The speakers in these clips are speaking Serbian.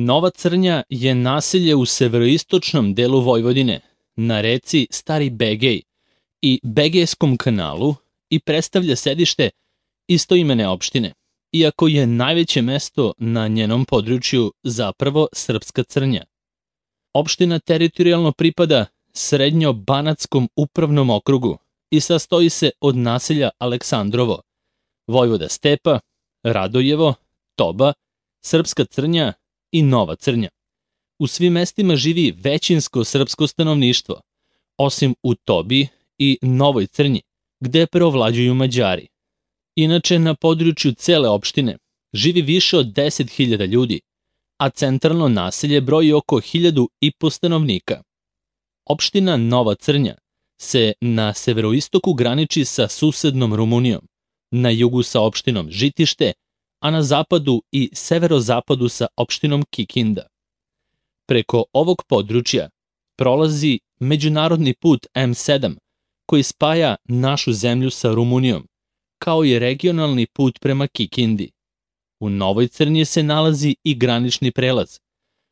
Nova Crnja je naselje u severoistočnom delu Vojvodine, na reci Stari Begej i Begejskom kanalu i predstavlja sedište istoimene opštine, iako je najveće mesto na njenom području zapravo Srpska Crnja. Opština teritorijalno pripada Srednjo-Banatskom upravnom okrugu i sastoji se od naselja Aleksandrovo, Vojvoda Stepa, Radojevo, Toba, Srpska Crnja i Nova Crnja. U svim mestima živi većinsko srpsko stanovništvo, osim u Tobi i Novoj Crnji, gde preovlađuju Mađari. Inače, na području cele opštine živi više od 10.000 ljudi, a centralno naselje broji oko 1.500 stanovnika. Opština Nova Crnja se na severoistoku graniči sa susednom Rumunijom, na jugu sa opštinom Žitište, a na zapadu i severozapadu sa opštinom Kikinda. Preko ovog područja prolazi međunarodni put M7 koji spaja našu zemlju sa Rumunijom, kao i regionalni put prema Kikindi. U Novoj Crnji se nalazi i granični prelaz,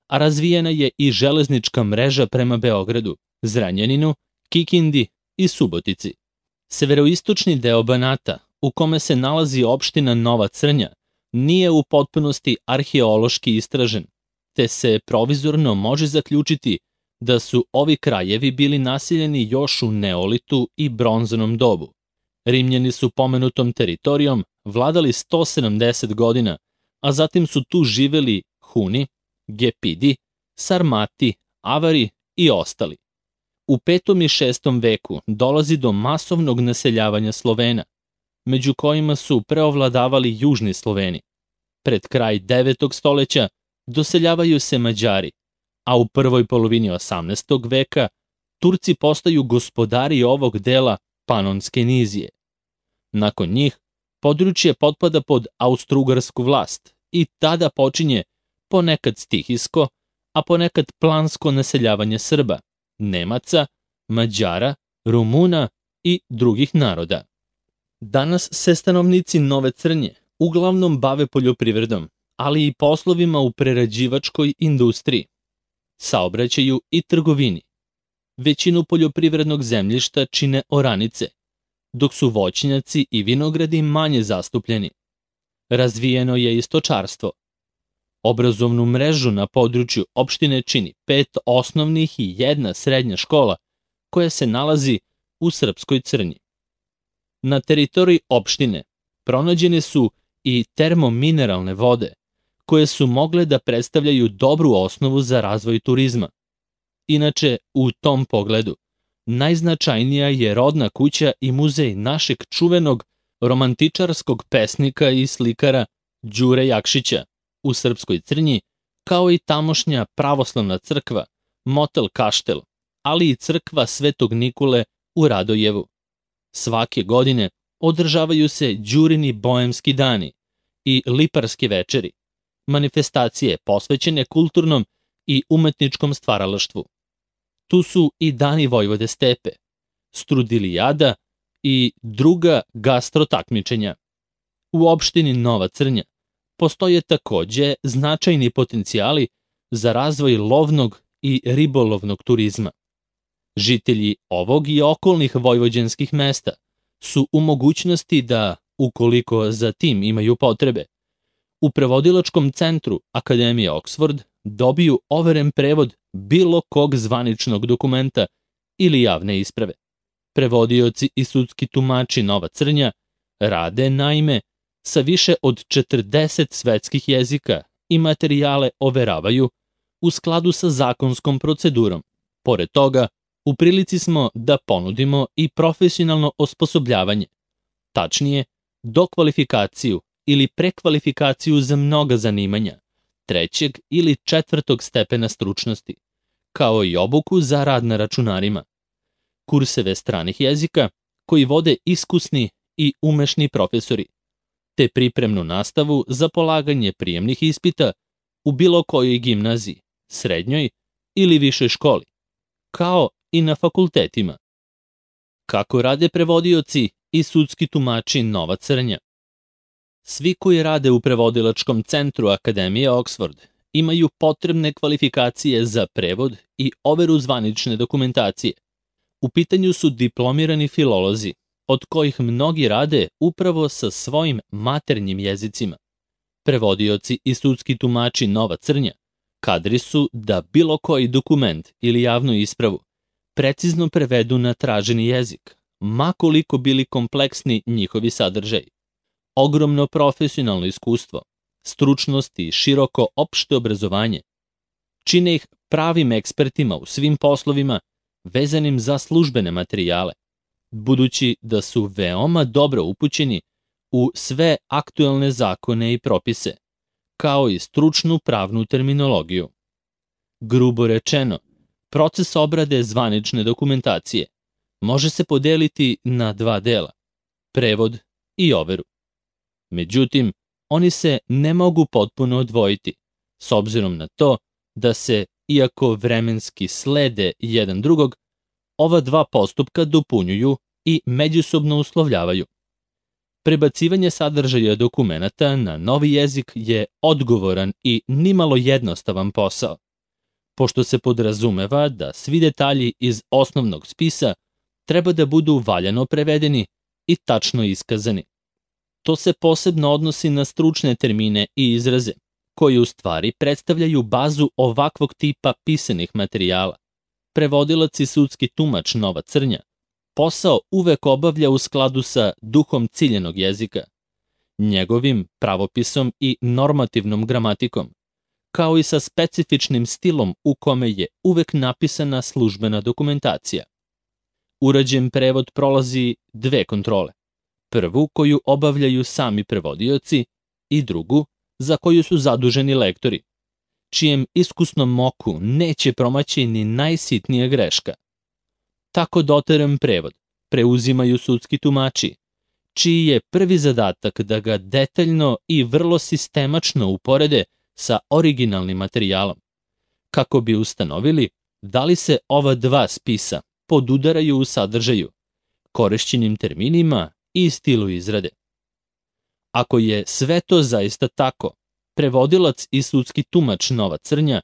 a razvijena je i železnička mreža prema Beogradu, Zrenjaninu, Kikindi i Subotici. Severoistočni deo Banata, u kome se nalazi opština Nova Crnja, nije u potpunosti arheološki istražen, te se provizorno može zaključiti da su ovi krajevi bili naseljeni još u Neolitu i Bronzanom dobu. Rimljani su pomenutom teritorijom vladali 170 godina, a zatim su tu živeli Huni, Gepidi, Sarmati, Avari i ostali. U 5. i 6. veku dolazi do masovnog naseljavanja Slovena, među kojima su preovladavali južni Sloveni. Pred kraj 9. stoleća doseljavaju se Mađari, a u prvoj polovini 18. veka Turci postaju gospodari ovog dela Panonske nizije. Nakon njih, područje potpada pod austrougarsku vlast i tada počinje ponekad stihijsko, a ponekad plansko naseljavanje Srba, Nemaca, Mađara, Rumuna i drugih naroda. Danas se stanovnici Nove Crnje uglavnom bave poljoprivredom, ali i poslovima u prerađivačkoj industriji, saobraćaju i trgovini. Većinu poljoprivrednog zemljišta čine oranice, dok su voćnjaci i vinogradi manje zastupljeni. Razvijeno je i stočarstvo. Obrazovnu mrežu na području opštine čini 5 osnovnih i 1 srednja škola koja se nalazi u Srpskoj Crnji. Na teritoriji opštine pronađene su i termomineralne vode, koje su mogle da predstavljaju dobru osnovu za razvoj turizma. Inače, u tom pogledu, najznačajnija je rodna kuća i muzej našeg čuvenog romantičarskog pesnika i slikara Đure Jakšića u Srpskoj Crnji, kao i tamošnja pravoslavna crkva, motel Kaštel, ali i crkva Svetog Nikole u Radojevu. Svake godine održavaju se Đurini boemski dani i liparske večeri, manifestacije posvećene kulturnom i umetničkom stvaralaštvu. Tu su i dani Vojvode Stepe, Strudilijada i druga gastrotakmičenja. U opštini Nova Crnja postoje takođe značajni potencijali za razvoj lovnog i ribolovnog turizma. Žitelji ovog i okolnih vojvođanskih mesta su u mogućnosti da, ukoliko za tim imaju potrebe, u prevodilačkom centru Akademije Oxford dobiju overen prevod bilo kog zvaničnog dokumenta ili javne isprave. Prevodioci i sudski tumači Nova Crnja rade, naime, sa više od 40 svetskih jezika i materijale overavaju u skladu sa zakonskom procedurom. Pored toga, u prilici smo da ponudimo i profesionalno osposobljavanje, tačnije, dokvalifikaciju ili prekvalifikaciju za mnoga zanimanja, 3. ili 4. stepena stručnosti, kao i obuku za rad na računarima, kurseve stranih jezika koji vode iskusni i umešni profesori, te pripremnu nastavu za polaganje prijemnih ispita u bilo kojoj gimnaziji, srednjoj ili višoj školi, kao i na fakultetima. Kako rade prevodioci i sudski tumači Nova Crnja? Svi koji rade u prevodilačkom centru Akademije Oxford imaju potrebne kvalifikacije za prevod i overu zvanične dokumentacije. U pitanju su diplomirani filolozi, od kojih mnogi rade upravo sa svojim maternjim jezicima. Prevodioci i sudski tumači Nova Crnja kadri su da bilo koji dokument ili javnu ispravu precizno prevedu na traženi jezik, ma koliko bili kompleksni njihovi sadržaji. Ogromno profesionalno iskustvo, stručnost i široko opšte obrazovanje čine ih pravim ekspertima u svim poslovima vezanim za službene materijale, budući da su veoma dobro upućeni u sve aktuelne zakone i propise, kao i stručnu pravnu terminologiju. Grubo rečeno, proces obrade zvanične dokumentacije može se podeliti na dva dela, prevod i overu. Međutim, oni se ne mogu potpuno odvojiti, s obzirom na to da se, iako vremenski slede jedan drugog, ova dva postupka dopunjuju i međusobno uslovljavaju. Prebacivanje sadržaja dokumenata na novi jezik je odgovoran i nimalo jednostavan posao, pošto se podrazumeva da svi detalji iz osnovnog spisa treba da budu valjano prevedeni i tačno iskazani. To se posebno odnosi na stručne termine i izraze, koji u stvari predstavljaju bazu ovakvog tipa pisanih materijala. Prevodilac i sudski tumač Nova Crnja posao uvek obavlja u skladu sa duhom ciljenog jezika, njegovim pravopisom i normativnom gramatikom, kao i sa specifičnim stilom u kome je uvek napisana službena dokumentacija. Urađen prevod prolazi dve kontrole. Prvu koju obavljaju sami prevodioci i drugu za koju su zaduženi lektori, čijem iskusnom oku neće promaći ni najsitnija greška. Tako doteran prevod preuzimaju sudski tumači, čiji je prvi zadatak da ga detaljno i vrlo sistemačno uporede sa originalnim materijalom, kako bi ustanovili da li se ova dva spisa podudaraju u sadržaju, korišćenim terminima i stilu izrade. Ako je sve to zaista tako, prevodilac i sudski tumač Nova Crnja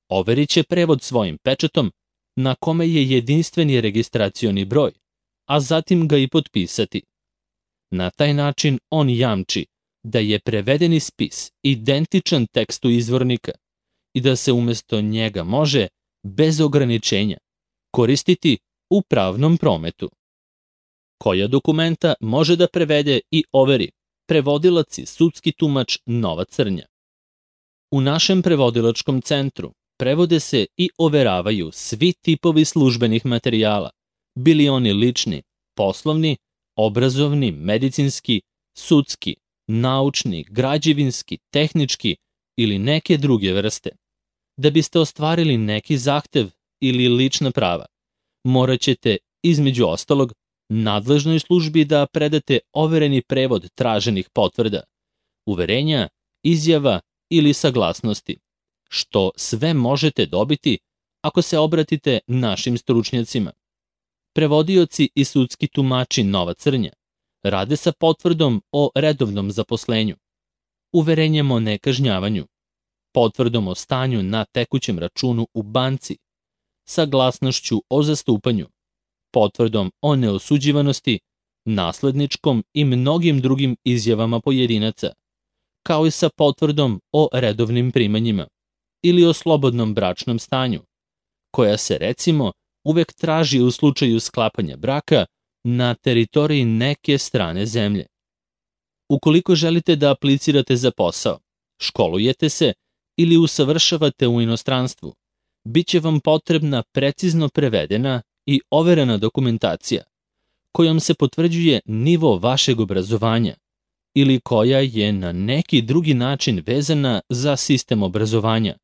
overit će prevod svojim pečatom na kome je jedinstveni registracioni broj, a zatim ga i potpisati. Na taj način on jamči da je prevedeni spis identičan tekstu izvornika i da se umesto njega može, bez ograničenja, koristiti u pravnom prometu. Koja dokumenta može da prevede i overi prevodilac i sudski tumač Nova Crnja? U našem prevodilačkom centru prevode se i overavaju svi tipovi službenih materijala, bili oni lični, poslovni, obrazovni, medicinski, sudski, naučni, građevinski, tehnički ili neke druge vrste. Da biste ostvarili neki zahtev ili lična prava, morat ćete, između ostalog, nadležnoj službi da predate overeni prevod traženih potvrda, uverenja, izjava ili saglasnosti, što sve možete dobiti ako se obratite našim stručnjacima. Prevodioci i sudski tumači Nova Crnja rade sa potvrdom o redovnom zaposlenju, uverenjem o nekažnjavanju, potvrdom o stanju na tekućem računu u banci, saglasnošću o zastupanju, potvrdom o neosuđivanosti, nasledničkom i mnogim drugim izjavama pojedinaca, kao i sa potvrdom o redovnim primanjima ili o slobodnom bračnom stanju, koja se recimo uvek traži u slučaju sklapanja braka na teritoriji neke strane zemlje. Ukoliko želite da aplicirate za posao, školujete se ili usavršavate u inostranstvu, bit će vam potrebna precizno prevedena i overena dokumentacija, kojom se potvrđuje nivo vašeg obrazovanja ili koja je na neki drugi način vezana za sistem obrazovanja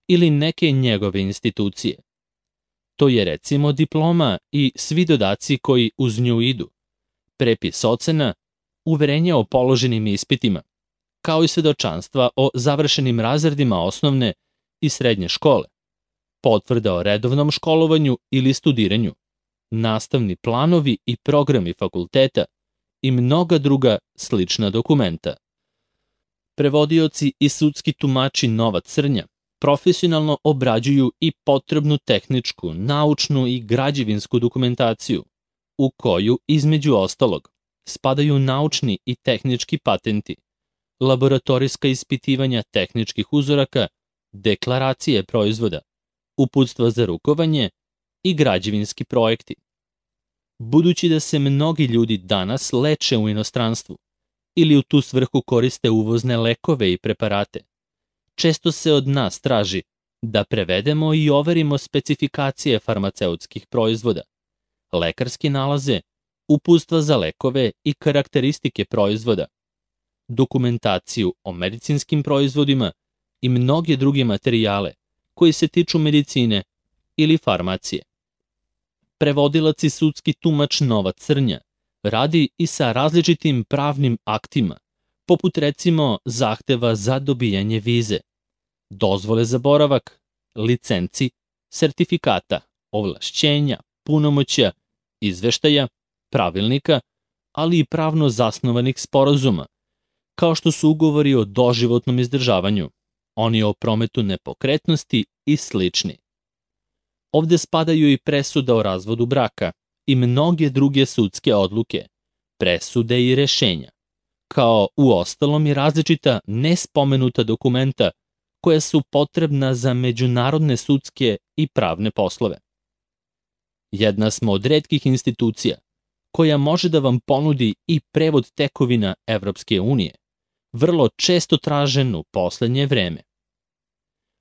ili neke njegove institucije. To je recimo diploma i svi dodaci koji uz nju idu, prepis ocena, uverenja o položenim ispitima, kao i svedočanstva o završenim razredima osnovne i srednje škole, potvrda o redovnom školovanju ili studiranju, nastavni planovi i programi fakulteta i mnoga druga slična dokumenta. Prevodioci i sudski tumači Nova Crnja profesionalno obrađuju i potrebnu tehničku, naučnu i građevinsku dokumentaciju, u koju, između ostalog, spadaju naučni i tehnički patenti, laboratorijska ispitivanja tehničkih uzoraka, deklaracije proizvoda, uputstva za rukovanje i građevinski projekti. Budući da se mnogi ljudi danas leče u inostranstvu ili u tu svrhu koriste uvozne lekove i preparate, često se od nas traži da prevedemo i overimo specifikacije farmaceutskih proizvoda, lekarske nalaze, uputstva za lekove i karakteristike proizvoda, dokumentaciju o medicinskim proizvodima i mnoge druge materijale koji se tiču medicine ili farmacije. Prevodilac i sudski tumač Nova Crnja radi i sa različitim pravnim aktima, poput recimo zahteva za dobijanje vize, dozvole za boravak, licenci, sertifikata, ovlašćenja, punomoćja, izveštaja, pravilnika, ali i pravno zasnovanih sporazuma, kao što su ugovori o doživotnom izdržavanju, oni o prometu nepokretnosti i slični. Ovde spadaju i presuda o razvodu braka i mnoge druge sudske odluke, presude i rešenja, kao uostalom i različita nespomenuta dokumenta koja su potrebna za međunarodne sudske i pravne poslove. Jedna smo od retkih institucija koja može da vam ponudi i prevod tekovina Evropske unije, vrlo često tražen u poslednje vreme.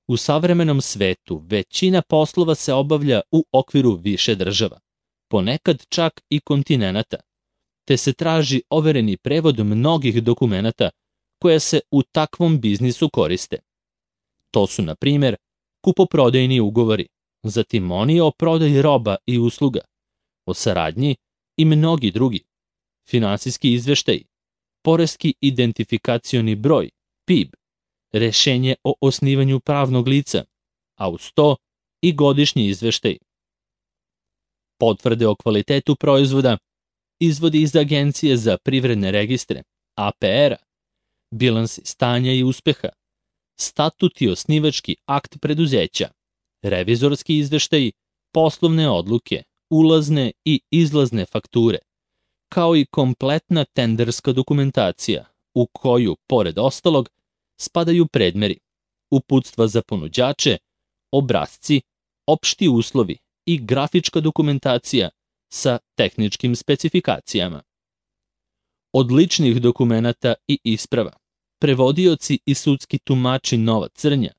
U savremenom svetu većina poslova se obavlja u okviru više država, ponekad čak i kontinenata, te se traži overeni prevod mnogih dokumenata koja se u takvom biznisu koriste. To su, na primjer, kupoprodajni ugovori, zatim oni o prodaji roba i usluga, o saradnji i mnogi drugi, finansijski izveštaji, poreski identifikacioni broj, PIB, rešenje o osnivanju pravnog lica, a uz to i godišnji izveštaj. Potvrde o kvalitetu proizvoda, izvodi iz Agencije za privredne registre, APR-a, bilansi stanja i uspeha, statut i osnivački akt preduzeća, revizorski izveštaji, poslovne odluke, ulazne i izlazne fakture, kao i kompletna tenderska dokumentacija, u koju, pored ostalog, spadaju predmeri, uputstva za ponuđače, obrasci, opšti uslovi i grafička dokumentacija sa tehničkim specifikacijama. Od ličnih dokumenata i isprava, prevodioci i sudski tumači Nova Crnja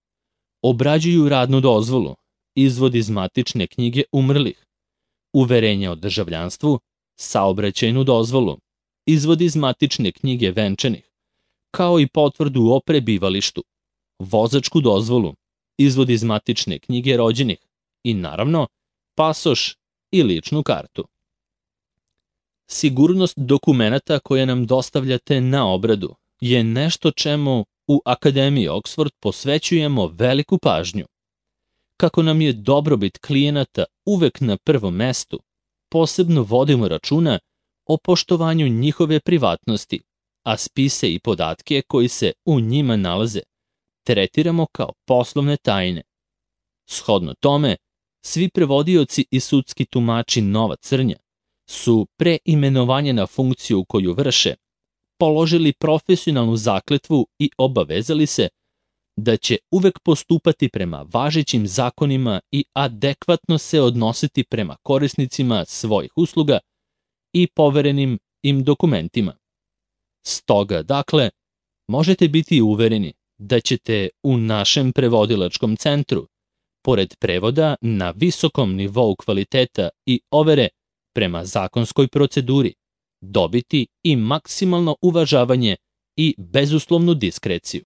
obrađuju radnu dozvolu, izvod iz matične knjige umrlih, uverenje o državljanstvu, saobraćajnu dozvolu, izvod iz matične knjige venčanih, kao i potvrdu o prebivalištu, vozačku dozvolu, izvod iz matične knjige rođenih i, naravno, pasoš i ličnu kartu. Sigurnost dokumenata koje nam dostavljate na obradu je nešto čemu u Akademiji Oxford posvećujemo veliku pažnju. Kako nam je dobrobit klijenata uvek na prvom mestu, posebno vodimo računa o poštovanju njihove privatnosti, a spise i podatke koji se u njima nalaze tretiramo kao poslovne tajne. Shodno tome, svi prevodioci i sudski tumači Nova Crnja su pre imenovanja na funkciju koju vrše položili profesionalnu zakletvu i obavezali se da će uvek postupati prema važećim zakonima i adekvatno se odnositi prema korisnicima svojih usluga i poverenim im dokumentima. Stoga, dakle, možete biti uvereni da ćete u našem prevodilačkom centru, pored prevoda na visokom nivou kvaliteta i overe prema zakonskoj proceduri, dobiti i maksimalno uvažavanje i bezuslovnu diskreciju.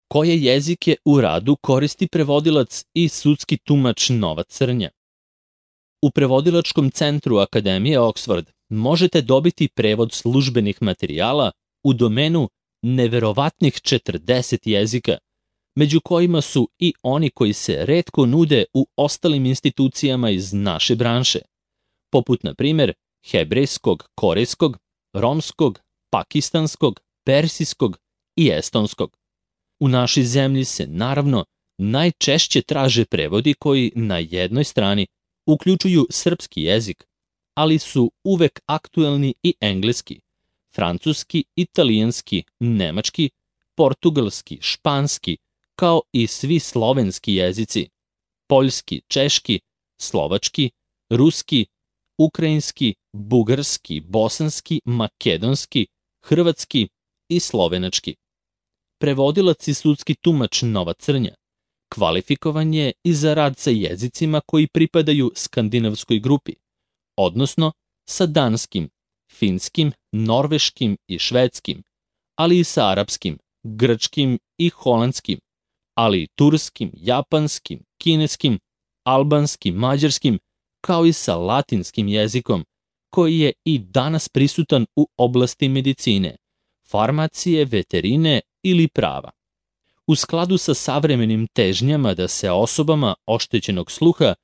Koje jezike u radu koristi prevodilac i sudski tumač Nova Crnja? U prevodilačkom centru Akademije Oxford možete dobiti prevod službenih materijala u domenu neverovatnih 40 jezika, među kojima su i oni koji se retko nude u ostalim institucijama iz naše branše, poput, na primjer, hebrejskog, korejskog, romskog, pakistanskog, persijskog i estonskog. U našoj zemlji se, naravno, najčešće traže prevodi koji na jednoj strani uključuju srpski jezik, ali su uvek aktuelni i engleski, francuski, italijanski, nemački, portugalski, španski, kao i svi slovenski jezici, poljski, češki, slovački, ruski, ukrajinski, bugarski, bosanski, makedonski, hrvatski i slovenački. Prevodilac i sudski tumač Nova Crnja kvalifikovan je i za rad sa jezicima koji pripadaju skandinavskoj grupi, odnosno sa danskim, finskim, norveškim i švedskim, ali i sa arapskim, grčkim i holandskim, ali i turskim, japanskim, kineskim, albanskim, mađarskim, kao i sa latinskim jezikom, koji je i danas prisutan u oblasti medicine, farmacije, veterine ili prava. U skladu sa savremenim težnjama da se osobama oštećenog sluha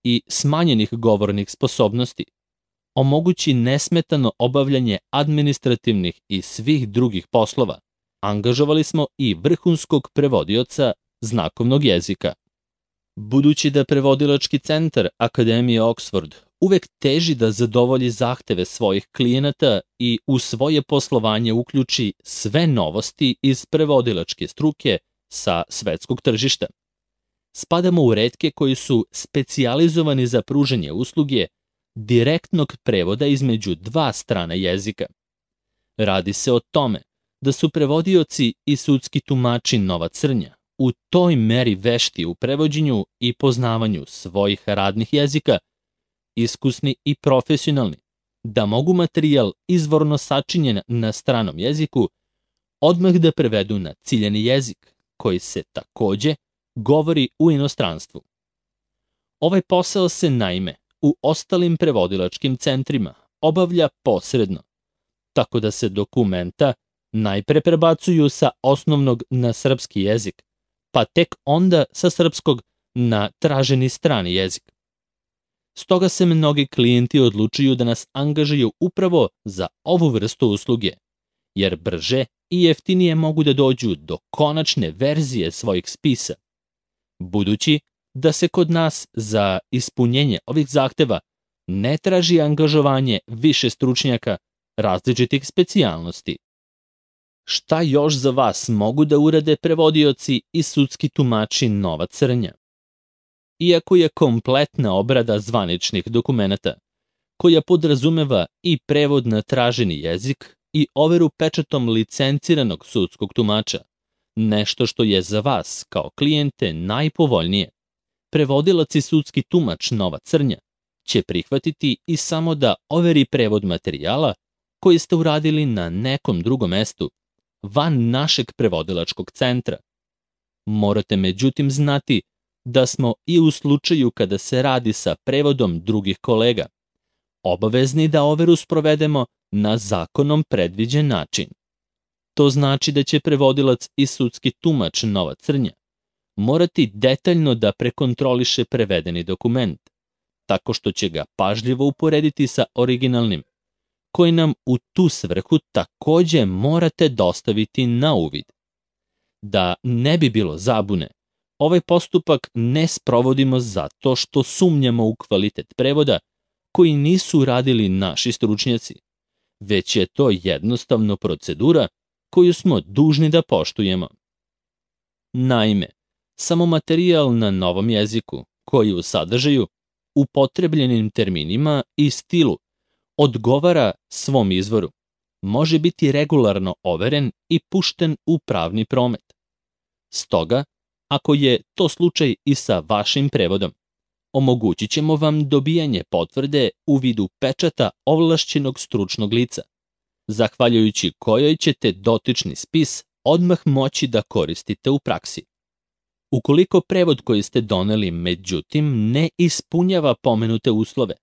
i smanjenih govornih sposobnosti omogući nesmetano obavljanje administrativnih i svih drugih poslova, angažovali smo i vrhunskog prevodioca znakovnog jezika. Budući da prevodilački centar Akademije Oxford uvek teži da zadovolji zahteve svojih klijenata i u svoje poslovanje uključi sve novosti iz prevodilačke struke sa svetskog tržišta, spadamo u retke koji su specijalizovani za pružanje usluge direktnog prevoda između dva strana jezika. Radi se o tome da su prevodioci i sudski tumači Nova Crnja u toj meri vešti u prevođenju i poznavanju svojih radnih jezika, iskusni i profesionalni, da mogu materijal izvorno sačinjen na stranom jeziku odmah da prevedu na ciljani jezik, koji se takođe govori u inostranstvu. Ovaj posao se naime u ostalim prevodilačkim centrima obavlja posredno, tako da se dokumenta najpre prebacuju sa osnovnog na srpski jezik, pa tek onda sa srpskog na traženi strani jezik. Stoga se mnogi klijenti odlučuju da nas angažuju upravo za ovu vrstu usluge, jer brže i jeftinije mogu da dođu do konačne verzije svojih spisa, budući da se kod nas za ispunjenje ovih zahteva ne traži angažovanje više stručnjaka različitih specijalnosti. Šta još za vas mogu da urade prevodioci i sudski tumači Nova Crnja? Iako je kompletna obrada zvaničnih dokumenata, koja podrazumeva i prevod na traženi jezik i overu pečatom licenciranog sudskog tumača, nešto što je za vas kao klijente najpovoljnije, prevodilac i sudski tumač Nova Crnja će prihvatiti i samo da overi prevod materijala koji ste uradili na nekom drugom mestu, van našeg prevodilačkog centra. Morate međutim znati da smo i u slučaju kada se radi sa prevodom drugih kolega obavezni da overu sprovedemo na zakonom predviđen način. To znači da će prevodilac i sudski tumač Nova Crnja morati detaljno da prekontroliše prevedeni dokument, tako što će ga pažljivo uporediti sa originalnim, koji nam u tu svrhu takođe morate dostaviti na uvid. Da ne bi bilo zabune, ovaj postupak ne sprovodimo zato što sumnjamo u kvalitet prevoda koji nisu radili naši stručnjaci, već je to jednostavno procedura koju smo dužni da poštujemo. Naime, samo materijal na novom jeziku, koji u sadržaju, upotrebljenim terminima i stilu odgovara svom izvoru, može biti regularno overen i pušten u pravni promet. Stoga, ako je to slučaj i sa vašim prevodom, omogućit ćemo vam dobijanje potvrde u vidu pečata ovlašćenog stručnog lica, zahvaljujući kojoj ćete dotični spis odmah moći da koristite u praksi. Ukoliko prevod koji ste doneli međutim ne ispunjava pomenute uslove,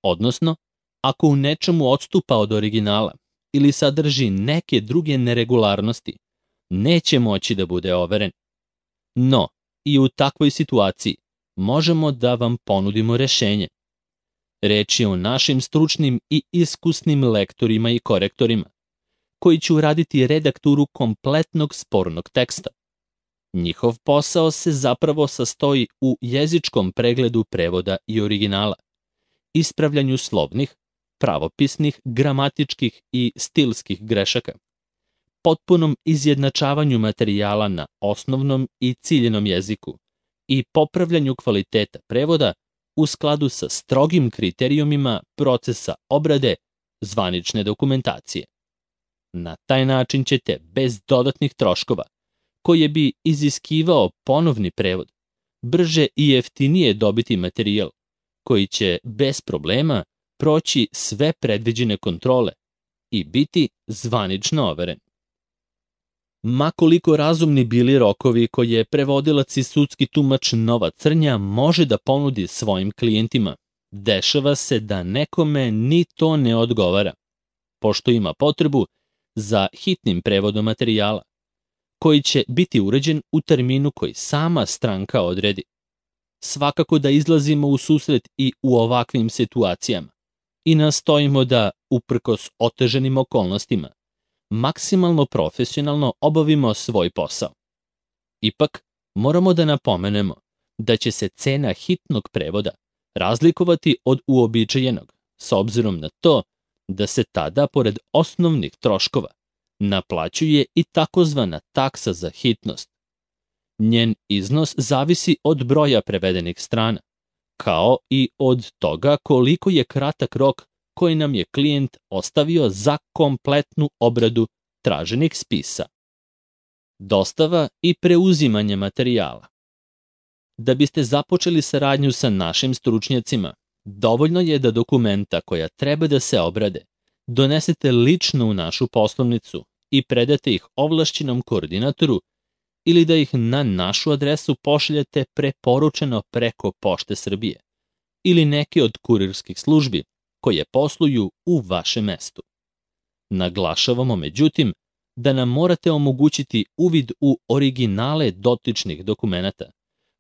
odnosno ako u nečemu odstupa od originala ili sadrži neke druge neregularnosti, neće moći da bude overen. No, i u takvoj situaciji možemo da vam ponudimo rešenje. Reč je o našim stručnim i iskusnim lektorima i korektorima, koji će uraditi redakturu kompletnog spornog teksta. Njihov posao se zapravo sastoji u jezičkom pregledu prevoda i originala, ispravljanju slovnih, pravopisnih, gramatičkih i stilskih grešaka, potpunom izjednačavanju materijala na osnovnom i ciljenom jeziku i popravljanju kvaliteta prevoda u skladu sa strogim kriterijumima procesa obrade zvanične dokumentacije. Na taj način ćete bez dodatnih troškova, koje bi iziskivao ponovni prevod, brže i jeftinije dobiti materijal koji će bez problema proći sve predviđene kontrole i biti zvanično overen. Ma koliko razumni bili rokovi koje prevodilac i sudski tumač Nova Crnja može da ponudi svojim klijentima, dešava se da nekome ni to ne odgovara, pošto ima potrebu za hitnim prevodom materijala, koji će biti uređen u terminu koji sama stranka odredi. Svakako da izlazimo u susret i u ovakvim situacijama i nastojimo da, uprkos oteženim okolnostima, maksimalno profesionalno obavimo svoj posao. Ipak, moramo da napomenemo da će se cena hitnog prevoda razlikovati od uobičajenog, s obzirom na to da se tada, pored osnovnih troškova, naplaćuje i takozvana taksa za hitnost. Njen iznos zavisi od broja prevedenih strana, kao i od toga koliko je kratak rok koji nam je klijent ostavio za kompletnu obradu traženih spisa. Dostava i preuzimanje materijala. Da biste započeli saradnju sa našim stručnjacima, dovoljno je da dokumenta koja treba da se obrade donesete lično u našu poslovnicu i predate ih ovlašćenom koordinatoru ili da ih na našu adresu pošaljete preporučeno preko Pošte Srbije ili neke od kurirskih službi koje posluju u vašem mestu. Naglašavamo, međutim, da nam morate omogućiti uvid u originale dotičnih dokumenata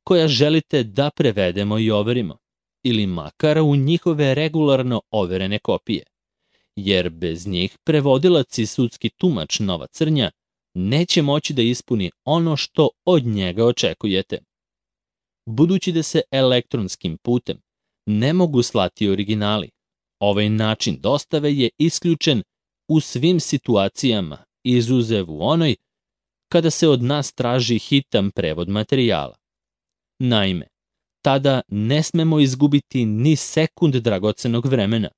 koja želite da prevedemo i overimo, ili makar u njihove regularno overene kopije, jer bez njih prevodilac i sudski tumač Nova Crnja neće moći da ispuni ono što od njega očekujete. Budući da se elektronskim putem ne mogu slati originali, ovaj način dostave je isključen u svim situacijama, izuzev u onoj kada se od nas traži hitan prevod materijala. Naime, tada ne smemo izgubiti ni sekund dragocenog vremena,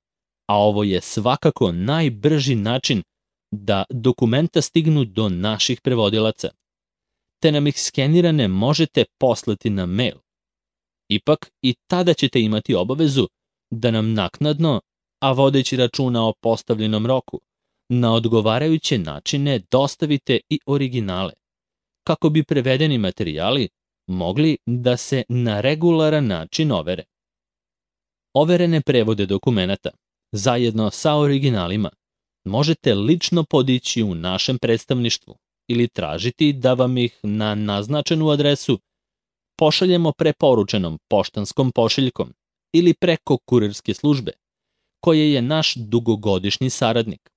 a ovo je svakako najbrži način da dokumenta stignu do naših prevodilaca, te nam ih skenirane možete poslati na mail. Ipak i tada ćete imati obavezu da nam naknadno, a vodeći računa o postavljenom roku, na odgovarajuće načine dostavite i originale, kako bi prevedeni materijali mogli da se na regularan način overe. Overene prevode dokumenata, zajedno sa originalima, možete lično podići u našem predstavništvu ili tražiti da vam ih na naznačenu adresu pošaljemo preporučenom poštanskom pošiljkom ili preko kurirske službe, koje je naš dugogodišnji saradnik.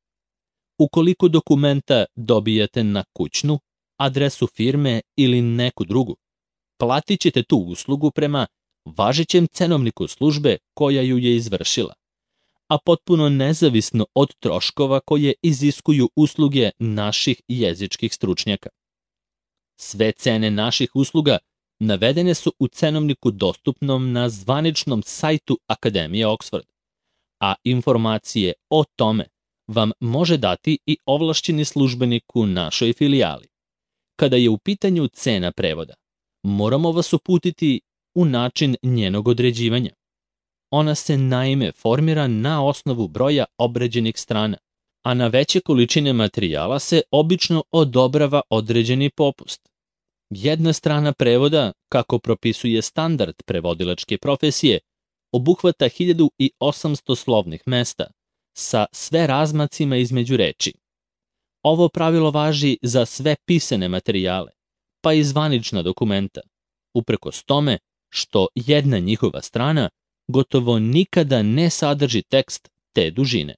Ukoliko dokumenta dobijete na kućnu, adresu firme ili neku drugu, platit ćete tu uslugu prema važećem cenovniku službe koja ju je izvršila, a potpuno nezavisno od troškova koje iziskuju usluge naših jezičkih stručnjaka. Sve cene naših usluga navedene su u cenovniku dostupnom na zvaničnom sajtu Akademije Oxford, a informacije o tome vam može dati i ovlašćeni službenik u našoj filijali. Kada je u pitanju cena prevoda, moramo vas uputiti u način njenog određivanja. Ona se naime formira na osnovu broja obrađenih strana, a na veće količine materijala se obično odobrava određeni popust. Jedna strana prevoda, kako propisuje standard prevodilačke profesije, obuhvata 1800 slovnih mesta sa sve razmacima između reči. Ovo pravilo važi za sve pisane materijale, pa i zvanična dokumenta, uprkos tome što jedna njihova strana gotovo nikada ne sadrži tekst te dužine.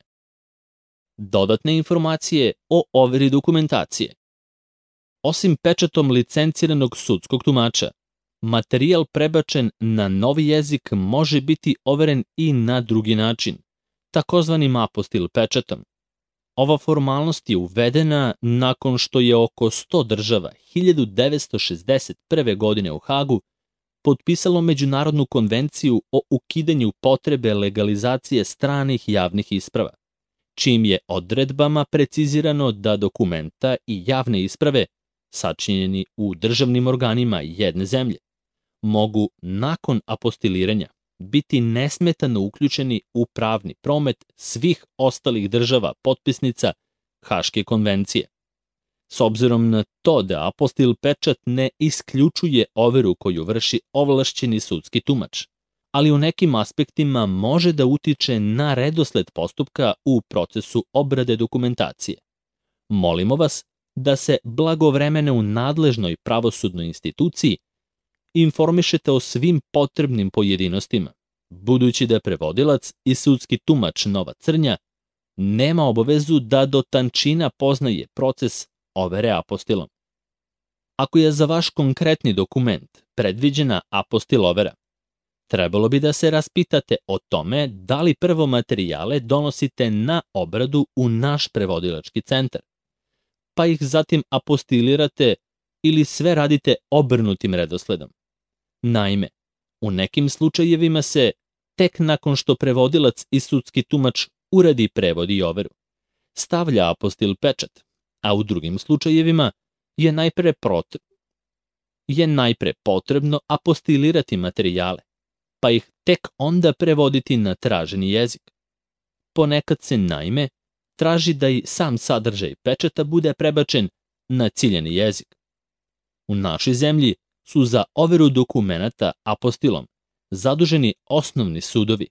Dodatne informacije o overi dokumentacije. Osim pečatom licenciranog sudskog tumača, materijal prebačen na novi jezik može biti overen i na drugi način, takozvanim apostil pečatom. Ova formalnost je uvedena nakon što je oko 100 država 1961. godine u Hagu potpisalo Međunarodnu konvenciju o ukidanju potrebe legalizacije stranih javnih isprava, čijim je odredbama precizirano da dokumenta i javne isprave, sačinjeni u državnim organima jedne zemlje, mogu nakon apostiliranja biti nesmetano uključeni u pravni promet svih ostalih država potpisnica Haške konvencije. S obzirom na to da apostil pečat ne isključuje overu koju vrši ovlašćeni sudski tumač, ali u nekim aspektima može da utiče na redosled postupka u procesu obrade dokumentacije. Molimo vas da se blagovremeno u nadležnoj pravosudnoj instituciji informišete o svim potrebnim pojedinostima, budući da prevodilac i sudski tumač Nova Crnja nema obavezu da do tančina poznaje proces overe apostilom. Ako je za vaš konkretni dokument predviđena apostil overa, trebalo bi da se raspitate o tome da li prvo materijale donosite na obradu u naš prevodilački centar, pa ih zatim apostilirate ili sve radite obrnutim redosledom. Naime, u nekim slučajevima se, tek nakon što prevodilac i sudski tumač uradi prevod i overu, stavlja apostil pečat, a u drugim slučajevima je najpre potrebno apostilirati materijale, pa ih tek onda prevoditi na traženi jezik. Ponekad se, naime, traži da i sam sadržaj pečata bude prebačen na ciljani jezik. U našoj zemlji su za overu dokumenata apostilom zaduženi osnovni sudovi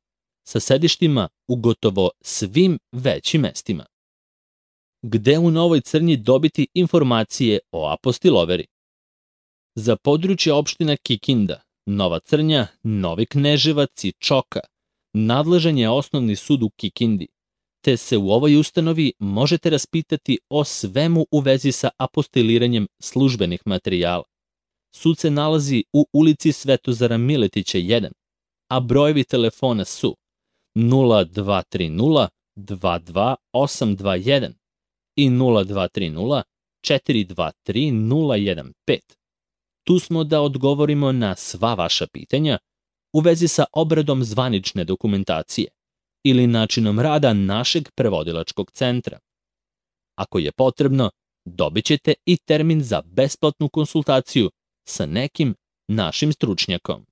sa sedištima u gotovo svim većim mestima. Gde u Novoj Crnji dobiti informacije o apostil overi? Za područje opština Kikinda, Nova Crnja, Novi Kneževac i Čoka nadležan je osnovni sud u Kikindi, te se u ovoj ustanovi možete raspitati o svemu u vezi sa apostiliranjem službenih materijala. Sud se nalazi u ulici Svetozara Miletića 1, a brojevi telefona su 0230 22821 i 0230 423 015. Tu smo da odgovorimo na sva vaša pitanja u vezi sa obradom zvanične dokumentacije ili načinom rada našeg prevodilačkog centra. Ako je potrebno, dobit ćete i termin za besplatnu konsultaciju sa nekim našim stručnjakom.